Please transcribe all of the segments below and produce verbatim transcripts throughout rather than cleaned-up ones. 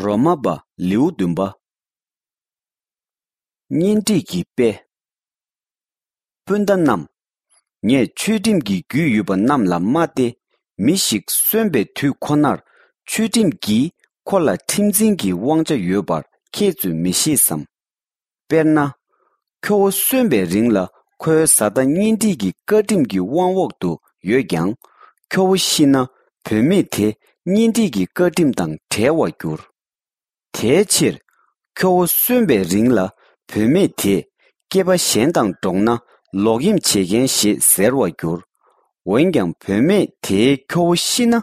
རོ་མ་པ་ལེའུ་བདུན་པ། གཉེན་སྒྲིག་གི་དཔེ། སྤུན་ཟླ་རྣམས། ངས་ཆོས་ཁྲིམས་ཀྱི་རྒྱུས་ཡོད་པ་རྣམས་ལ་སྨྲ་སྟེ། མི་ཞིག་གསོན་པའི་དུས་ཁོ་ནར་ཆོས་ཁྲིམས་ཀྱིས་ཁོ་ལ་ཁྲིམས་འཛིན་གྱི་དབང་ཆ་ཡོད་པར་ཁྱེད་ཚོས་མི་ཤེས་སམ། དཔེར་ན། ཁྱོ་བོ་གསོན་པའི་རིང་ལ་ཁོའི་བཟའ་ཟླ་གཉེན་སྒྲིག་གི་བཀའ་ཁྲིམས་ཀྱི་དབང་འོག་ཏུ་ཡོད་ཀྱང་། ཁྱོ་བོ་ཤི་ན་བུད་མེད་དེ་གཉེན་སྒྲིག་གི་བཀའ་ཁྲིམས་དང་བྲལ་བར་འགྱུར། དེའི་ཕྱིར། ཁྱོ་བོ་གསོན་པའི་རིང་ལ་བུད་མེད་དེས་སྐྱེས་པ་གཞན་དང་འགྲོགས་ན་ལོག་གཡེམ་བྱེད་མཁན་ཞེས་ཟེར་བར་འགྱུར། འོན་ཀྱང་བུད་མེད་དེའི་ཁྱོ་བོ་ཤི་ན།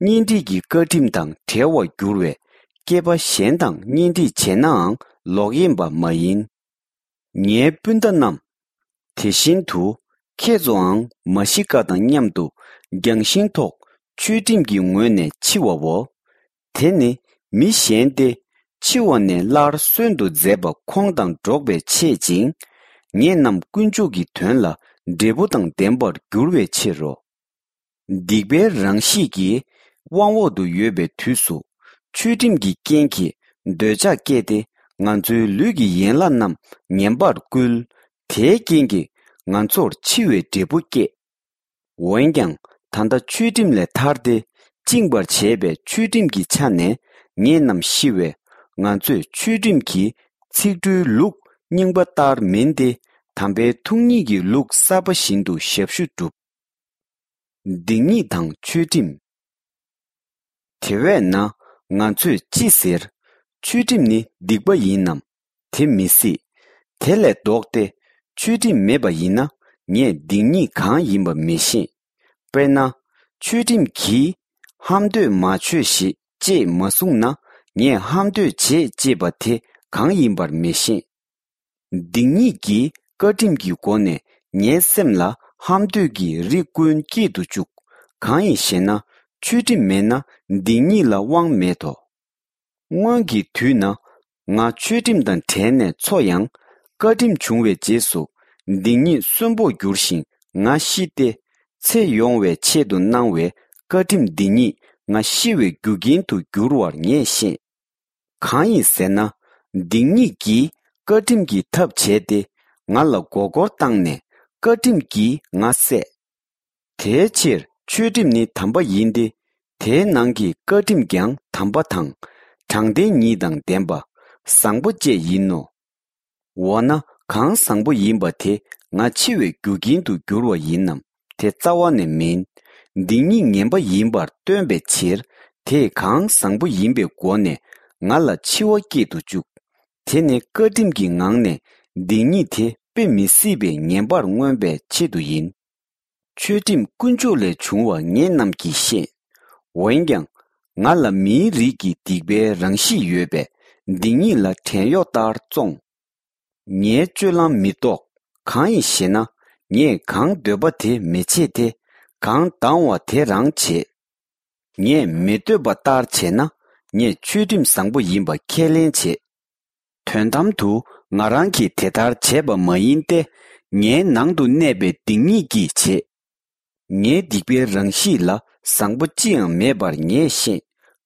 གཉེན་སྒྲིག་གི་བཀའ་ཁྲིམས་དང་བྲལ་བར་འགྱུར་བས། སྐྱེས་པ་གཞན་དང་གཉེན་སྒྲིག་བྱས་ནའང་ལོག་གཡེམ་པ་མ་ཡིན། ངའི་སྤུན་ཟླ་རྣམས། དེ་བཞིན་དུ་ཁྱེད་ཚོའང་མ་ཤི་ཀ་དང་མཉམ་དུ་རྒྱང་ཤིང་ཐོག་ཆོས་ཁྲིམས་ཀྱི་ངོས་ནས་འཆི་བའོ། དེ་ནི་མི་གཞན་ཏེ། འཆི་བ་ནས་སླར་གསོན་དུ་མཛད་པ་ཁོང་དང་འགྲོགས་པའི་ཆེད་ཅིང་། ངེད་རྣམས་དཀོན་མཆོག་གི་དོན་ལ་འབྲས་བུ་དང་ལྡན་པར་འགྱུར་བའི་ཕྱིར་རོ། སྡིག་པའི་རང་གཤིས་ཀྱི་དབང་འོག་ཏུ་ཡོད་པའི་དུས་སུ། ཆོས་ཁྲིམས་ཀྱི་རྐྱེན་གྱིས་འདོད་ཆགས་སྐྱེས་ཏེ། ང་ཚོའི་ལུས་ཀྱི་ཡན་ལག་རྣམས་ངན་པར་བསྐུལ། དེའི་རྐྱེན་གྱིས་ང་ཚོར་འཆི་བའི་འབྲས་བུ་སྐྱེས། འོན་ཀྱང་ད་ལྟ་ཆོས་ཁྲིམས་ལས་ཐར་ཏེ། བཅིངས་པར་བྱས་པའི་ཆོས་ཁྲིམས་ཀྱི་ཆ་ནས་ངེད་རྣམས་ཤི་བས། ང་ཚོས་ཆོས་ཁྲིམས་ཀྱི་ཚིག་འབྲུའི་ལུགས་རྙིང་པ་ལྟར་མིན་ཏེ། དམ་པའི་ཐུགས་ཉིད་ཀྱི་ལུགས་གསར་པ་བཞིན་དུ་ཞབས་ཞུ་བསྒྲུབས། སྡིག་ཉེས་དང་ཆོས་ཁྲིམས། དེ་བས་ན་ང་ཚོས་ཅི་ཟེར། ཆོས་ཁྲིམས་ནི་སྡིག་པ་ཡིན་ནམ། དེ་མི་སྲིད། དེ་ལས་ལྡོག་སྟེ། ཆོས་ཁྲིམས་མེད་པ་ཡིན་ན། ངས་སྡིག་ཉེས་གང་ཡིན་པ་མི་ཤེས། དཔེར་ན། ཆོས་ཁྲིམས་ཀྱིས་ཧམ་འདོད་མ་བྱོས་ཤིག་ཅེས་མ་གསུངས་ན། ངས་ཧམ་འདོད་བྱེད་ཅེས་པ་དེ་གང་ཡིན་པར་མི་ཤེས། སྡིག་ཉེས་ཀྱིས་བཀའ་ཁྲིམས་ཀྱི་སྒོ་ནས་ངའི་སེམས་ལ་ཧམ་འདོད་ཀྱི་རིགས་ཀུན་སྐྱེད་དུ་བཅུག། གང་ཡིན་ཞེ་ན། ཆོས་ཁྲིམས་མེད་ན་སྡིག་ཉེས་ལ་དབང་མེད་དོ། སྔོན་གྱི་དུས་ན་ང་ཆོས་ཁྲིམས་དང་བྲལ་ནས་འཚོ་ཡང་། བཀའ་ཁྲིམས་བྱུང་བའི་རྗེས་སུ་སྡིག་ཉེས་གསོན་པོར་འགྱུར་ཞིང་ང་ཤི་སྟེ། ཚེ་ཡོང་བའི་ཆེད་དུ་གནང་བའི་བཀའ་ཁྲིམས་འདི་ཉིད་ང་ཤི་བའི་རྒྱུ་རྐྱེན་དུ་འགྱུར་བར་ངས་ཤེས། གང་ཡིན་ཟེར་ན། སྡིག་ཉེས་ཀྱིས་བཀའ་ཁྲིམས་ཀྱི་ཐབས་བྱས་ཏེ། ང་ལ་མགོ་སྐོར་བཏང་ནས་བཀའ་ཁྲིམས་ཀྱིས་ང་བསད། དེའི་ཕྱིར་ཆོས་ཁྲིམས་ནི་དམ་པ་ཡིན་ཏེ། དེའི་ནང་གི་བཀའ་ཁྲིམས་ཀྱང་དམ་པ་དང་། དྲང་བདེན་ཉིད་དང་ལྡན་པ། བཟང་པོ་བཅས་ཡིན་ནོ། འོ་ན་གང་བཟང་པོ་ཡིན་པ་དེ་ང་འཆི་བའི་རྒྱུ་རྐྱེན་དུ་འགྱུར་བ་ཡིན་ནམ། དེ་རྩ་བ་ནས་མིན། སྡིག་ཉེས་ངན་པ་ཡིན་པར་སྟོན་པའི་ཕྱིར། དེས་གང་བཟང་པོ་ཡིན་པའི་སྒོ་ནས་ང་ལ་འཆི་བ་སྐྱེད་དུ་བཅུག། དེ་ནི་བཀའ་ཁྲིམས་ཀྱི་ངང་ནས་སྡིག་ཉེས་དེ་དཔེ་མི་སྲིད་པའི་ངན་པར་མངོན་པའི་ཆེད་དུ་ཡིན། ཆོས་ཁྲིམས་དཀོན་མཆོག་ལས་བྱུང་བ་ངེད་རྣམས་ཀྱིས་ཤེས། འོན་ཀྱང་། ང་ལ་མིའི་རིགས་ཀྱི་སྡིག་པའི་རང་གཤིས་ཡོད་པས། སྡིག་ཉེས་ལ་བྲན་གཡོག་ལྟར་བཙོང་། ངའི་སྤྱོད་ལམ་མི་རྟོགས། གང་ཡིན་ཞེ་ན། ངས་གང་འདོད་པ་དེ་མི་བྱེད་དེ། གང་དང་བ་དེ་རང་བྱེད། ངས་མི་འདོད་པ་ལྟར་བྱས་ན། ངས་ཆོས་ཁྲིམས་བཟང་པོ་ཡིན་པ་ཁས་ལེན་བྱེད། དོན་དམ་དུ་ང་རང་གིས་དེ་ལྟར་བྱས་པ་མ་ཡིན་ཏེ། ངའི་ནང་དུ་གནས་པའི་སྡིག་ཉེས་ཀྱིས་བྱེད། ངའི་སྡིག་པའི་རང་གཤིས་ལ་བཟང་པོ་ཅི་ཡང་མེད་པར་ངས་ཤེས།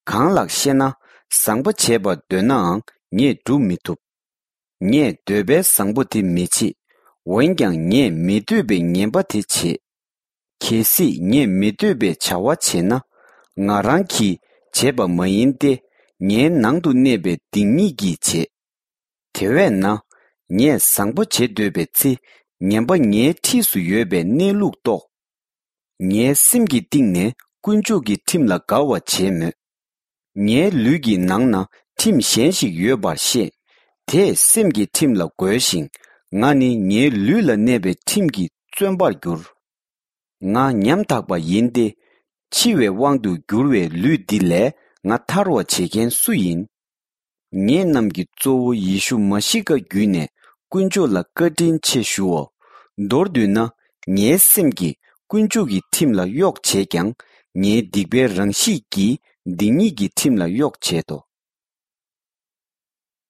གང་ལགས་ཤེ་ན། བཟང་པོ་བྱེད་པར་འདོད་ནའང་ངས་སྒྲུབ་མི་ཐུབ། ངས་འདོད་པའི་བཟང་པོ་དེ་མི་བྱེད། འོན་ཀྱང་ངས་མི་འདོད་པའི་ངན་པ་དེ་བྱེད། གལ་སྲིད་ངས་མི་འདོད་པའི་བྱ་བ་བྱས་ན། ང་རང་གིས་བྱས་པ་མ་ཡིན་ཏེ། ངའི་ནང་དུ་གནས་པའི་སྡིག་ཉེས་ཀྱིས་བྱེད། དེ་བས་ན། ངས་བཟང་པོ་བྱེད་འདོད་པའི་ཚེ། ངན་པ་ངའི་འཁྲིས་སུ་ཡོད་པའི་གནས་ལུགས་རྟོགས། ངའི་སེམས་ཀྱི་གཏིང་ནས་དཀོན་མཆོག་གི་ཁྲིམས་ལ་དགའ་བ་བྱས་མོད། ངའི་ལུས་ཀྱི་ནང་ན་ཁྲིམས་གཞན་ཞིག་ཡོད་པར་ཤེས། དེས་སེམས་ཀྱི་ཁྲིམས་ལ་རྒོལ་ཞིང་། ང་ནི་ངའི་ལུས་ལ་གནས་པའི་ཁྲིམས་ཀྱིས་བཙོན་པར་གྱུར། ང་ཉམ་ཐག་པ་ཡིན་ཏེ། འཆི་བའི་དབང་དུ་གྱུར་བའི་ལུས་འདི་ལས་ང་ཐར་བར་བྱེད་མཁན་སུ་ཡིན། ངེད་རྣམས་ཀྱི་གཙོ་བོ་ཡེ་ཤུ་མ་ཤི་ཀ་བརྒྱུད་ནས་དཀོན་མཆོག་ལ་བཀའ་དྲིན་ཆེ་ཞུའོ། མདོར་བསྡུས་ན། ངའི་སེམས་ཀྱིས་དཀོན་མཆོག་གི་ཁྲིམས་ལ་གཡོག་བྱེད་ཀྱང་། ངའི་སྡིག་པའི་རང་གཤིས་ཀྱིས་སྡིག་ཉེས་ཀྱི་ཁྲིམས་ལ་གཡོག་བྱེད་དོ།